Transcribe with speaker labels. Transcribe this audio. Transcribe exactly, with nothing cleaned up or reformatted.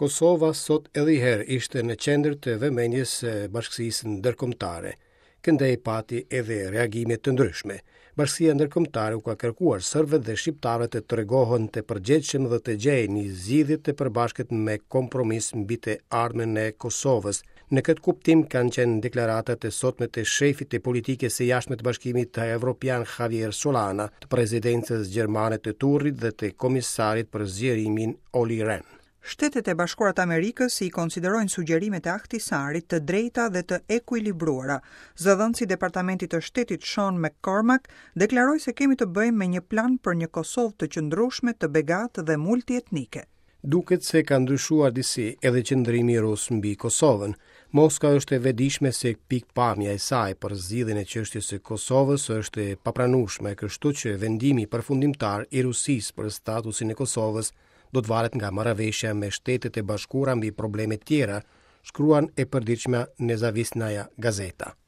Speaker 1: Kosova sot edhe një herë ishte në qendër të vëmendjes së bashkësisë ndërkombëtare. Këndej pati edhe reagime të ndryshme. Bashkësia ndërkombëtare u ka kërkuar serbët dhe shqiptarët të tregohen të përgjegjshëm dhe të gjejnë një zgjidhje të përbashkët me kompromis mbi të ardhmen e Kosovës. Në këtë kuptim kanë qenë deklaratat e sotme të shefit të politikës së jashtme të Bashkimit Evropian Javier Solana, të presidencës gjermane të Turrit dhe të komisarit për zgjerimin Olli Rehn.
Speaker 2: Shtetet e Bashkuara të Amerikës i konsiderojnë sugjerimet e Ahtisarit të drejta dhe të ekuilibruara. Zëdhënësi i Departamentit të Shtetit Sean McCormack deklaroi se kemi të bëjmë me një plan për një Kosovë të qëndrueshme, të begatë dhe multietnike.
Speaker 1: Duket se ka ndryshuar disi edhe qëndrimi rus mbi Kosovën. Moska është e vetëdijshme se pikëpamja e saj për zgjidhjen e çështjes së Kosovës është e papranueshme, kështu që vendimi përfundimtar i Rusisë për statusin e Kosovës do të varet nga marrëveshja me Shtetet e Bashkuara mbi probleme tjera, shkruan e përditshmja Nezavisnaja Gazeta.